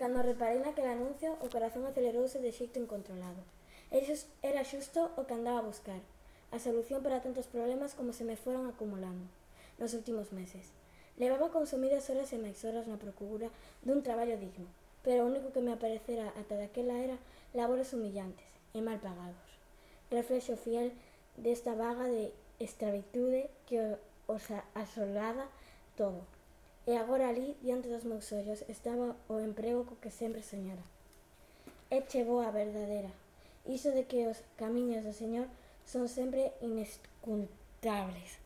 Cando reparei naquele anuncio, o corazón acelerouse de xeito incontrolado. Era xusto o que andaba a buscar, a solución para tantos problemas como se me foron acumulando nos últimos meses. Levaba consumidas horas e máis horas na procura dun traballo digno, pero o único que me aparecera ata daquela era labores humillantes e mal pagados. Reflexo fiel desta vaga de escravitude que os asolada todo. E agora ali, diante dos meus ollos, estaba o emprego co que sempre soñara. É chegou a verdadeira. Iso de que os camiños do Señor son sempre inescrutables.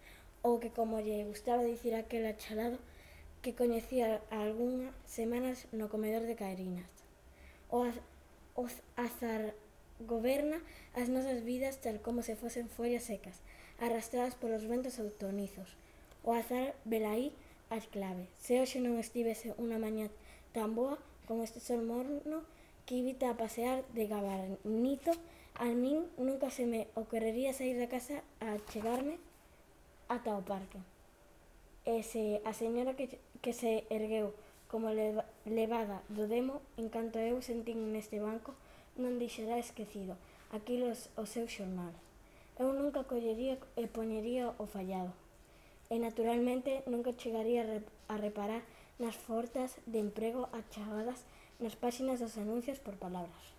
Ou que, como lle gustaba dicir aquel achalado, que coñecía algunhas semanas no comedor de Caerinas. O azar goberna as nosas vidas tal como se fosen follas secas, arrastradas polos ventos outonizos. O azar velaí as clave. Se hoxe non estivese unha mañá tan boa como este sol morno que invita a pasear de gabarnito, a min nunca se me ocorrería sair da casa a chegarme ata o parque. E se a señora que se ergueu como levada do demo, en canto eu sentín neste banco, non deixará esquecido aquilo o seu xornal. Eu nunca collería e poñería o fallado. E naturalmente nunca chegaría a reparar nas ofertas de emprego achegadas nas páxinas dos anuncios por palabras.